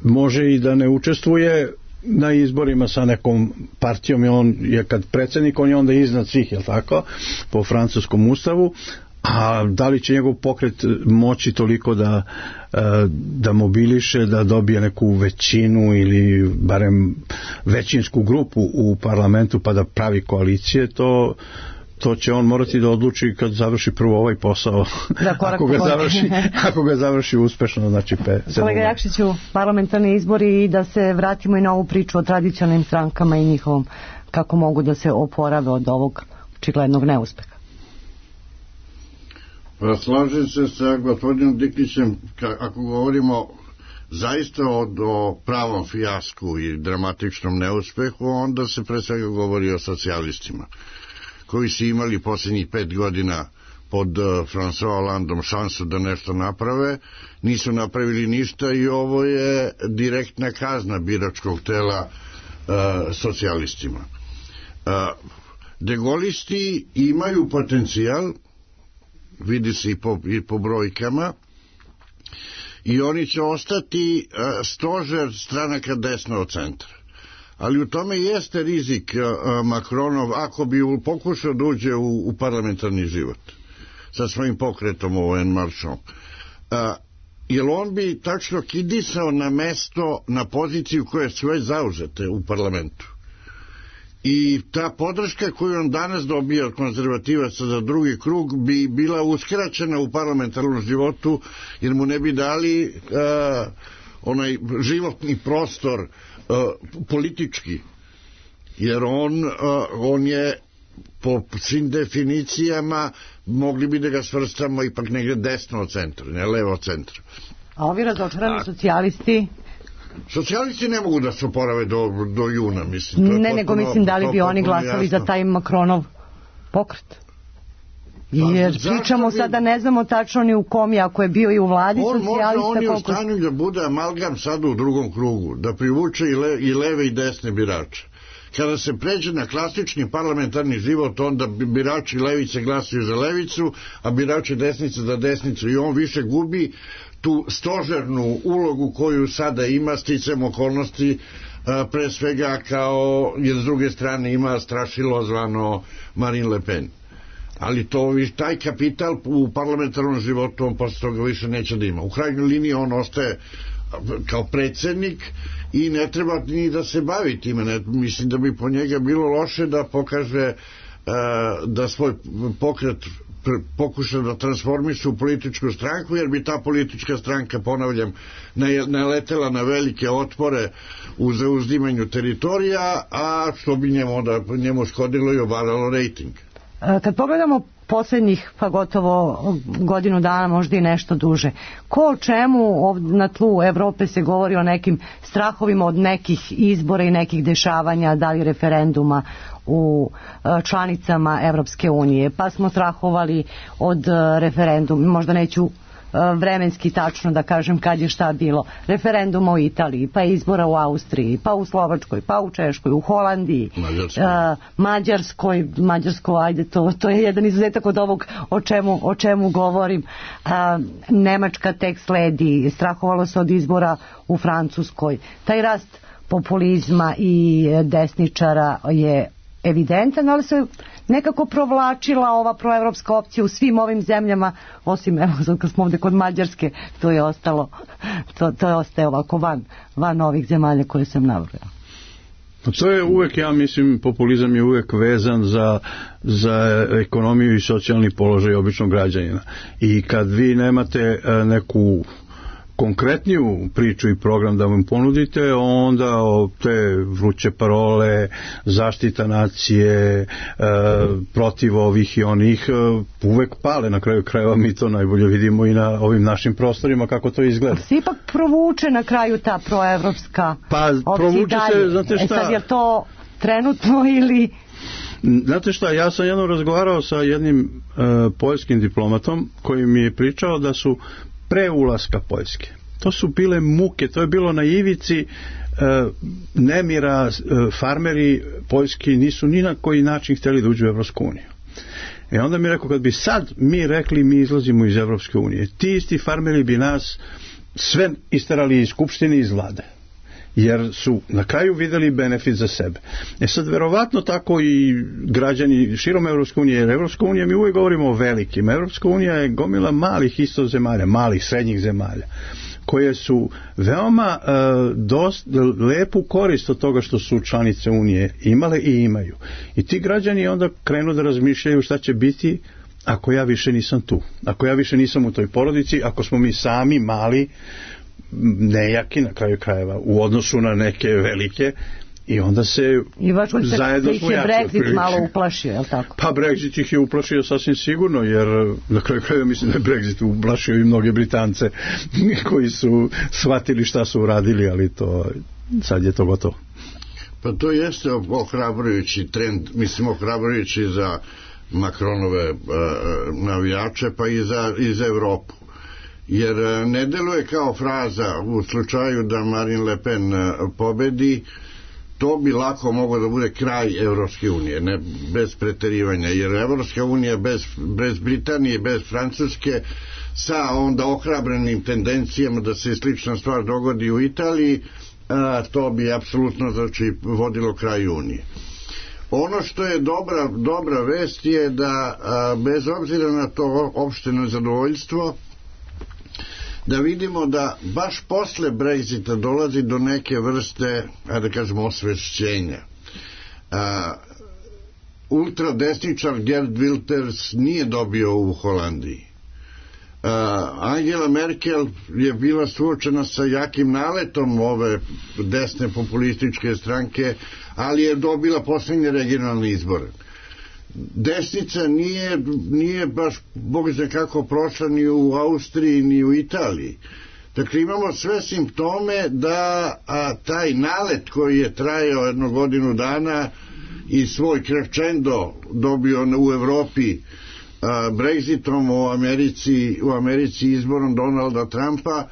može i da ne učestvuje na izborima sa nekom partijom, i on je kad predsjednik, on je onda iznad svih, je li tako, po francuskom ustavu, a da li će njegov pokret moći toliko da mobiliše, da dobije neku većinu ili barem većinsku grupu u parlamentu pa da pravi koalicije, to će on morati da odluči kad završi prvo ovaj posao. Ako ga završi uspešno, znači Kolega Jakšiću, parlamentarni izbori, i da se vratimo i na ovu priču o tradicionalnim strankama i njihovom, kako mogu da se oporave od ovog očiglednog neuspeha. Pa slažem se sa gospodinom Diklićem, ako govorimo zaista o pravom fijasku i dramatičnom neuspehu, onda se pre svega govori o socijalistima, koji su imali posljednjih 5 godina pod François Hollandom šansu da nešto naprave, nisu napravili ništa i ovo je direktna kazna biračkog tela socijalistima. Degolisti imaju potencijal, vidi se i po brojkama, i oni će ostati stožer stranaka desno od centra. Ali u tome jeste rizik Macronov ako bi pokušao da uđe u parlamentarni život sa svojim pokretom En Marchom. Jer on bi tačno kidisao na mesto, na poziciju koje su već zauzete u parlamentu. I ta podrška koju on danas dobija od konzervativaca za drugi krug bi bila uskraćena u parlamentarnom životu, jer mu ne bi dali onaj životni prostor politički, jer on je po svim definicijama mogli bi da ga svrstamo ipak negdje desno od centra, ne levo od centra. A ovi razočarani socijalisti? Socijalisti ne mogu da se oporave do juna, mislim. Ne, nego mislim da li bi oni glasali za taj Macronov pokret. Jer pričamo sada, ne znamo tačno ni u kom je, ako je bio i u vladi socijalista. On je u stanju da bude amalgam sada u drugom krugu, da privuče i leve i desne birače. Kada se pređe na klasični parlamentarni život, onda birači levice glasaju za levicu, a birači desnice za desnicu, i on više gubi tu stožernu ulogu koju sada ima, sticam okolnosti, pre svega kao, jer s druge strane ima strašilo zvano Marine Le Pen. Ali taj kapital u parlamentarnom životu on posle toga više neće da ima. U krajnjoj liniji on ostaje kao predsjednik i ne treba ni da se bavi time. Mislim da bi po njega bilo loše da pokaže da svoj pokret pokuša da transformiše u političku stranku, jer bi ta politička stranka, ponavljam, naletela na velike otpore u zauzdimanju teritorija, a što bi njemu škodilo i obaralo rejting. Kad pogledamo posljednjih pa gotovo godinu dana, možda i nešto duže, ko o čemu na tlu Evrope se govori o nekim strahovima od nekih izbora i nekih dešavanja, da li referenduma u članicama Evropske unije, pa smo strahovali od referenduma, možda neću vremenski tačno da kažem kad je šta bilo, referenduma u Italiji, pa izbora u Austriji, pa u Slovačkoj, pa u Češkoj, u Holandiji, Mađarskoj, ajde, to je jedan izuzetak od ovog o čemu govorim. Nemačka tek sledi, strahovalo se od izbora u Francuskoj. Taj rast populizma i desničara je evidentan, ali se nekako provlačila ova proevropska opcija u svim ovim zemljama, osim, evo, kad smo ovdje kod Mađarske, to je ostalo, to ostaje ovako van ovih zemalja koje sam nabrojala. To je uvek, ja mislim, populizam je uvek vezan za ekonomiju i socijalni položaj običnog građanina. I kad vi nemate neku konkretniju priču i program da vam ponudite, onda te vruće parole, zaštita nacije, protiv ovih i onih, uvek pale. Na kraju krajeva mi to najbolje vidimo i na ovim našim prostorima kako to izgleda. Se ipak provuče na kraju ta proevropska provuče se, znate šta? Sad je to trenutno ili... Znate šta, ja sam jednom razgovarao sa jednim poljskim diplomatom koji mi je pričao da su pre ulaska Poljske, to su bile muke, to je bilo na ivici nemira, farmeri poljski nisu ni na koji način htjeli da uđu u Evropsku uniju. I onda mi rekao, kad bi sad mi rekli mi izlazimo iz Evropske unije, ti isti farmeri bi nas sve isterali iz skupštine i iz vlade, jer su na kraju vidjeli benefit za sebe. Sad verovatno tako i građani širom Evropske unije, jer Evropska unija, mi uvijek govorimo o velikim, Evropska unija je gomila malih isto zemalja, malih srednjih zemalja, koje su veoma lepu korist od toga što su članice unije imale i imaju. I ti građani onda krenu da razmišljaju šta će biti ako ja više nisam tu, ako ja više nisam u toj porodici, ako smo mi sami mali, nejaki na kraju krajeva u odnosu na neke velike, i onda se zajedno smo jači. I Brexit malo uplašio, je li tako? Pa Brexit ih je uplašio sasvim sigurno, jer na kraju krajeva mislim da je Brexit uplašio i mnoge Britance koji su shvatili šta su uradili, ali to sad je to gotovo. Pa to jeste ohrabrujući trend, mislim ohrabrujući za Macronove navijače, pa i za Evropu. Jer ne deluje kao fraza u slučaju da Marine Le Pen pobedi, to bi lako moglo da bude kraj Evropske unije, ne bez preterivanja, jer Evropska unija bez Britanije, bez Francuske, sa onda ohrabrenim tendencijama da se slična stvar dogodi u Italiji, to bi apsolutno vodilo kraj unije. Ono što je dobra vest je da bez obzira na to opšteno zadovoljstvo, da vidimo da baš posle Brexita dolazi do neke vrste, da kažemo, osvešćenja. Ultradesničar Gerd Wilders nije dobio u Holandiji. Angela Merkel je bila suočena sa jakim naletom ove desne populističke stranke, ali je dobila posljednje regionalne izbore. desnica nije baš Bog zna kako prošla ni u Austriji ni u Italiji. Dakle, imamo sve simptome da taj nalet koji je trajao 1 godinu dana i svoj crescendo dobio u Evropi Brexitom u Americi izborom Donalda Trumpa,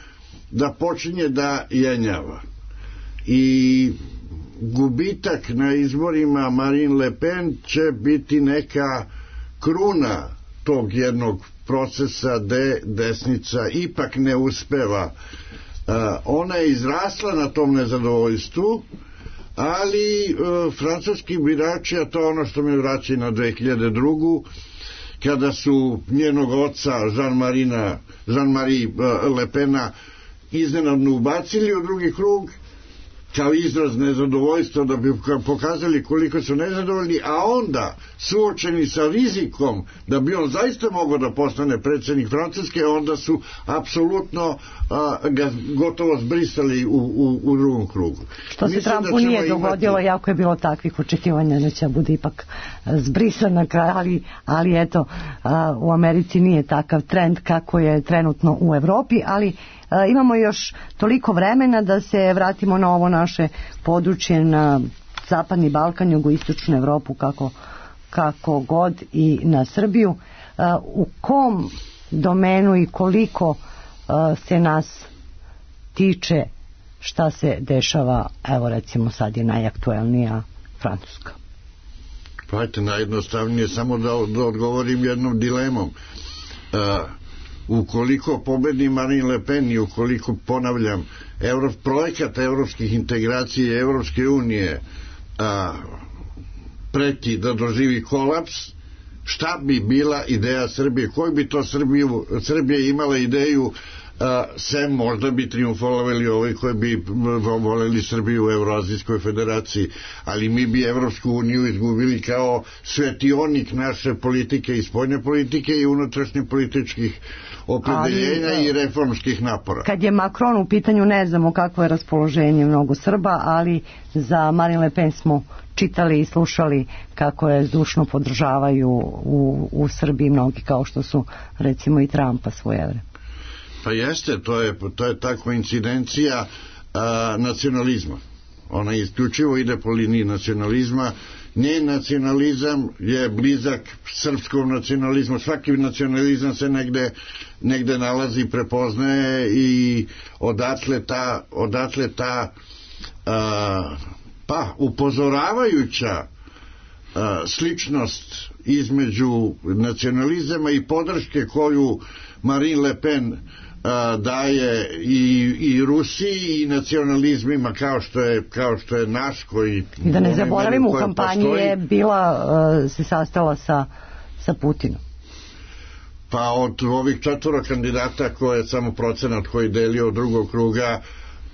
da počinje da jenjava. I gubitak na izborima Marine Le Pen će biti neka kruna tog jednog procesa gde desnica ipak ne uspeva. Ona je izrasla na tom nezadovoljstvu, ali francuski birači, a to je ono što me vraća na 2002. kada su njenog oca Jean-Marie Le Pena iznenadno ubacili u drugi krug kao izraz nezadovoljstva, da bi pokazali koliko su nezadovoljni, a onda suočeni sa rizikom da bi on zaista mogao da postane predsjednik Francuske, onda su apsolutno ga gotovo zbrisali u drugom krugu. Što se Trumpu nije dogodilo, jako je bilo takvih očekivanja da će bude ipak zbrisan na kraju, ali eto, u Americi nije takav trend kako je trenutno u Evropi, ali imamo još toliko vremena da se vratimo na ovo naše područje, na Zapadni Balkan, jugoistočnu Evropu, kako god, i na Srbiju. U kom domenu i koliko se nas tiče šta se dešava, evo recimo sad je najaktuelnija Francuska? Pa ajte, najjednostavnije samo da odgovorim jednom dilemom. Ukoliko pobedi Marine Le Pen i ukoliko, ponavljam, projekat evropskih integracija Evropske unije preti da doživi kolaps, šta bi bila ideja Srbije? Koju bi to Srbija imala ideju, sem možda bi triumfolovali ovi koji bi voleli Srbiju u Evroazijskoj federaciji, ali mi bi Evropsku uniju izgubili kao svetionik naše politike i spoljne politike i unutrašnje političkih opredeljenja i reformskih napora. Kad je Macron u pitanju, ne znamo kakvo je raspoloženje mnogo Srba, ali za Marine Le Pen smo čitali i slušali kako je zdušno podržavaju u Srbiji mnogi, kao što su recimo i Trumpa svojevremeno. Pa jeste, to je ta koincidencija nacionalizma. Ona isključivo ide po liniji nacionalizma. Njen nacionalizam je blizak srpskom nacionalizmu. Svaki nacionalizam se negde nalazi, prepoznaje i odatle ta upozoravajuća sličnost između nacionalizama i podrške koju Marine Le Pen daje i Rusiji i nacionalizmima kao što je naš, koji da ne zaboravimo, u kampanji je bila se sastala sa Putinom. Pa od ovih 4 kandidata koje je samo procenat koji delio od drugog kruga,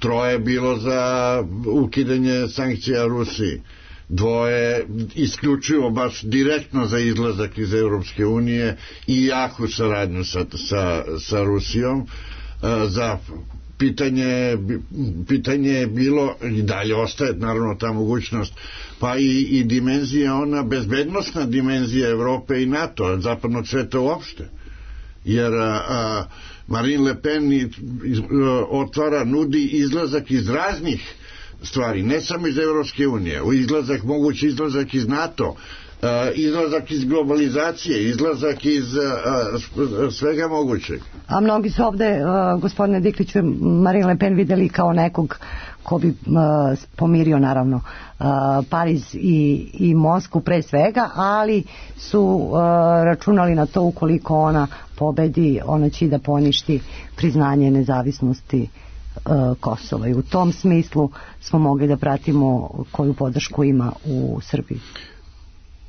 3 je bilo za ukidanje sankcija Rusiji, 2 isključivo baš direktno za izlazak iz Europske unije i jaku saradnju sa Rusijom. Za pitanje je bilo, i dalje ostaje naravno ta mogućnost, pa i dimenzija, ona bezbednostna dimenzija Evrope i NATO, zapadnog sveta uopšte, jer Marine Le Pen nudi izlazak iz raznih stvari, ne samo iz Evropske unije, mogući izlazak iz NATO, izlazak iz globalizacije, izlazak iz svega mogućeg. A mnogi su ovde, gospodine Dikliću, Marine Le Pen videli kao nekog ko bi pomirio naravno Pariz i Moskvu pre svega, ali su računali na to ukoliko ona pobedi, ona će da poništi priznanje nezavisnosti Kosova, i u tom smislu smo mogli da pratimo koju podršku ima u Srbiji.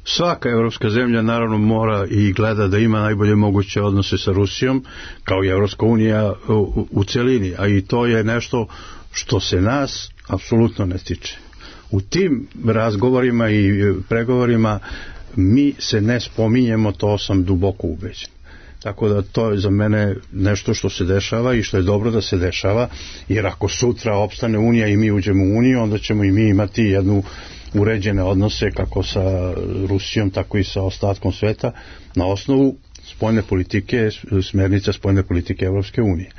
Svaka evropska zemlja naravno mora i gleda da ima najbolje moguće odnose sa Rusijom, kao i Evropska unija u celini, a i to je nešto što se nas apsolutno ne tiče. U tim razgovorima i pregovorima mi se ne spominjemo, to sam duboko ubeđen. Tako da to je za mene nešto što se dešava i što je dobro da se dešava, jer ako sutra opstane Unija i mi uđemo u Uniju, onda ćemo i mi imati jednu uređene odnose kako sa Rusijom, tako i sa ostatkom sveta na osnovu spoljne politike, smernica spoljne politike Evropske unije.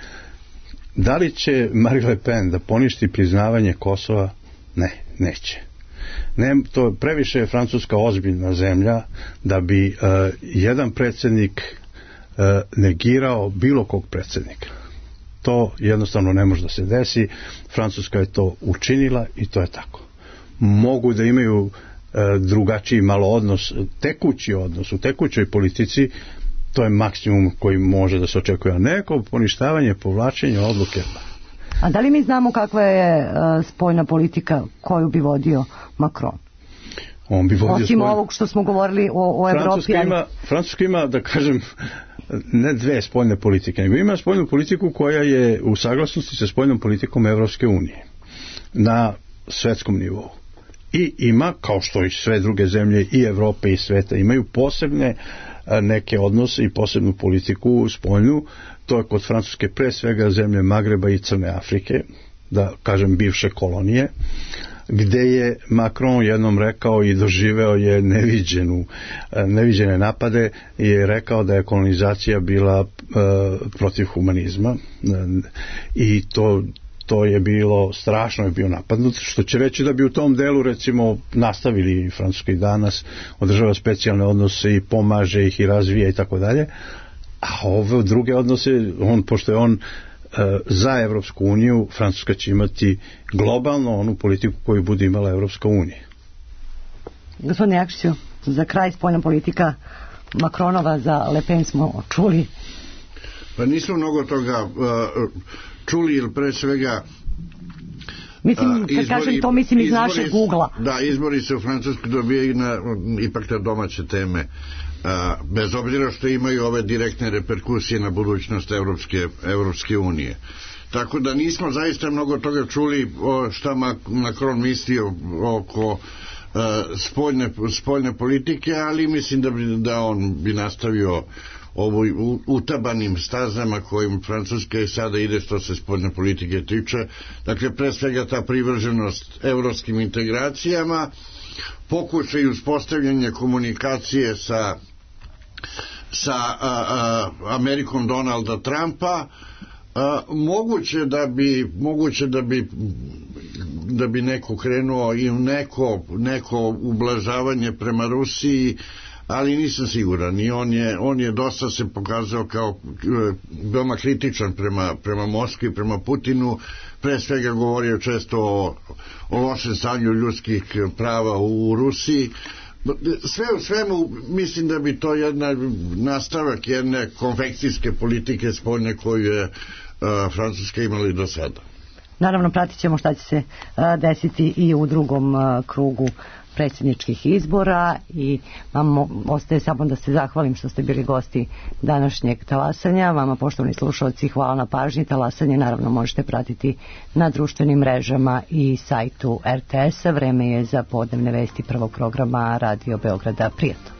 Da li će Marine Le Pen da poništi priznavanje Kosova? Ne, neće. Ne, to previše je Francuska ozbiljna zemlja da bi jedan predsjednik negirao bilo kog predsjednika. To jednostavno ne može da se desi. Francuska je to učinila i to je tako. Mogu da imaju drugačiji malo odnos, tekući odnos u tekućoj politici, to je maksimum koji može da se očekuje. A neko poništavanje, povlačenje odluke. A da li mi znamo kakva je spoljna politika koju bi vodio Macron? On bi vodio osim ovog što smo govorili o Evropi. Francuska ima, da kažem, ne dve spoljne politike, nego ima spoljnu politiku koja je u saglasnosti sa spoljnom politikom Evropske unije na svetskom nivou. I ima, kao što i sve druge zemlje i Evrope i sveta, imaju posebne neke odnose i posebnu politiku spoljnu. To je kod Francuske pre svega zemlje Magreba i Crne Afrike, da kažem bivše kolonije, gde je Macron jednom rekao i doživeo je neviđene napade i je rekao da je kolonizacija bila protiv humanizma i to je bilo, strašno je bio napadnut, što će reći da bi u tom delu recimo nastavili Francuska i danas, održava specijalne odnose i pomaže ih i razvija i tako dalje, a ove druge odnose, pošto je on za Evropsku uniju, Francuska će imati globalno onu politiku koju bude imala Evropska unija. Gospodine Jakšiću, za kraj spoljna politika Macronova, za Le Pen smo čuli. Pa nismo mnogo toga čuli, ili pre svega mislim, kad kažem to, mislim iz našeg ugla. Da, izbori se u Francuskoj dobijaju ipak na domaće teme, bez obzira što imaju ove direktne reperkusije na budućnost Evropske unije. Tako da nismo zaista mnogo toga čuli šta Macron misli oko spoljne politike, ali mislim da on bi nastavio utabanim stazama kojim Francuska i sada ide što se spoljne politike tiče. Dakle, pre svega ta privrženost evropskim integracijama, pokušaj uspostavljanja komunikacije sa Amerikom Donalda Trumpa, moguće da bi neko krenuo i u neko ublažavanje prema Rusiji, ali nisam siguran. I on je dosta se pokazao kao veoma kritičan prema Moskvi, prema Putinu, pre svega govorio često o lošem stanju ljudskih prava u Rusiji. Sve u svemu mislim da bi to nastavak jedne konfekcijske politike spoljne koju je Francuska imala i do sada. Naravno, pratit ćemo šta će se desiti i u drugom krugu predsjedničkih izbora i vam ostaje samo da se zahvalim što ste bili gosti današnjeg talasanja. Vama, poštovani slušalci, hvala na pažnji. Talasanje naravno možete pratiti na društvenim mrežama i sajtu RTS-a. Vreme je za podnevne vesti prvog programa Radio Beograda. Prijatno.